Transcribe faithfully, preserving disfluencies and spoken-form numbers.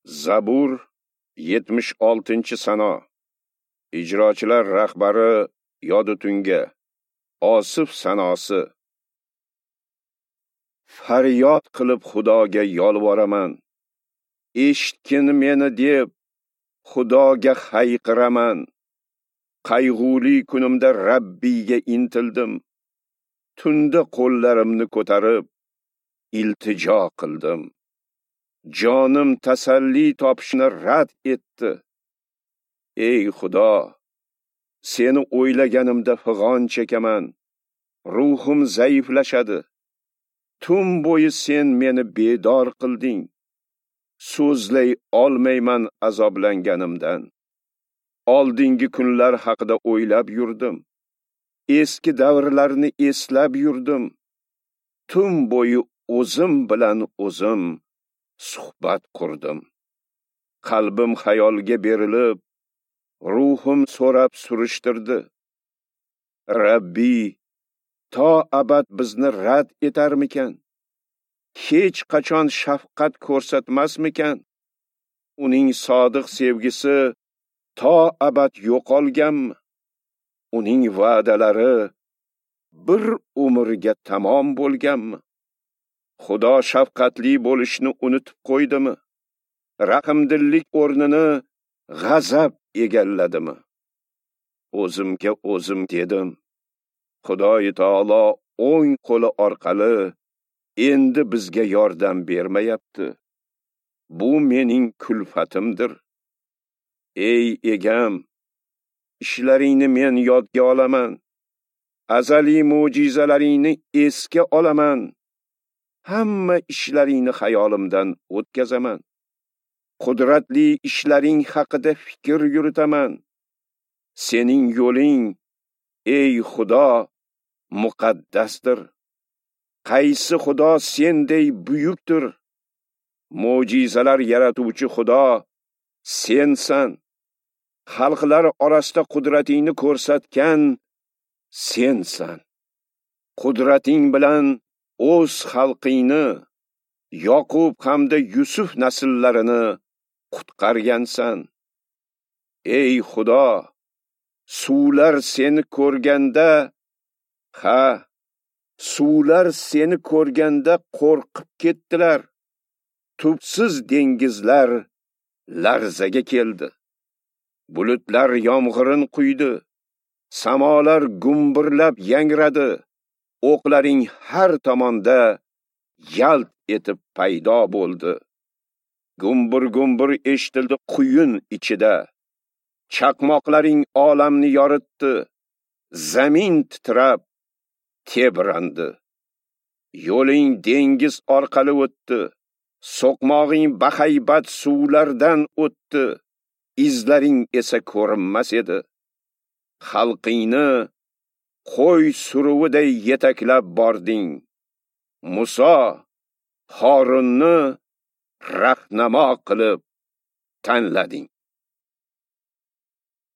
Zabur yetmish oltinchi sano. Ijrochilar rahbari Yodutunga. Osif sanosi. Faryod qilib Xudoga yolvoraman. Eshitgin meni deb Xudoga hayqiraman. Qayg'uli kunimda Rabbiyga intildim. Tunda qo'llarimni ko'tarib iltijo qildim. Jonim tasalli topishni rad etdi. Ey Xudo, seni o'ylaganimda fig'on chekaman. Ruhim zaiflashadi. Tun bo'yi sen meni bedor qilding. So'zlay olmayman azoblanganimdan. Oldingi kunlar haqida o'ylab yurdim. Eski davrlarni eslab yurdim. Tun bo'yi o'zim bilan o'zim suhbat qurdim. Qalbim xayolga berilib, ruhim so'rab surishtirdi. Rabbi, to abad bizni rad etarmikan? Hech qachon shafqat ko'rsatmasmikan? Uning sodiq sevgisi to abad yo'qolganmi? Uning va'dalari bir umrga tamom bo'lganmi? Xudo shafqatli bo'lishni unutib qo'ydimi? Rahmdillik o'rnini g'azab egalladimi? O'zimga o'zim dedim. Xudoyi taolo o'ng qo'li orqali endi bizga yordam bermayapti. Bu mening kulfatimdir. Ey egam, ishlaringni men yodga olaman. Azaliy mo'jizalaringni esga olaman. Hamma ishlaringni xayolimdan o'tkazaman. Qudratli ishlaring haqida fikr yuritaman. Sening yo'ling, ey Xudo, muqaddasdir. Qaysi Xudo senday buyukdir? Mo'jizalar yaratuvchi Xudo sensan. Xalqlar orasida qudratingni ko'rsatgan sensan. Qudrating bilan o'z xalqingni, Yoqub hamda Yusuf nasllarini qutqargansan. Ey Xudo, suvlar seni ko'rganda, ha, suvlar seni ko'rganda qo'rqib ketdilar. Tubsiz dengizlar larzaga keldi. Bulutlar yomg'irin quydi, samolar gumburlab yangradi. O'qlaring har tomonda yalt etib paydo bo'ldi. Gumbur-gumbur eshitildi quyun ichida. Chaqmoqlaring olamni yoritdi. Zamin titrab tebrandi. Yo'ling dengiz orqali o'tdi. So'qmog'ing bahaybat suvlardan o'tdi. Izlaring esa ko'rinmas edi. Xalqingni qo'y suruviday yetaklab bording. Muso Horunni rahnamo qilib tanlading.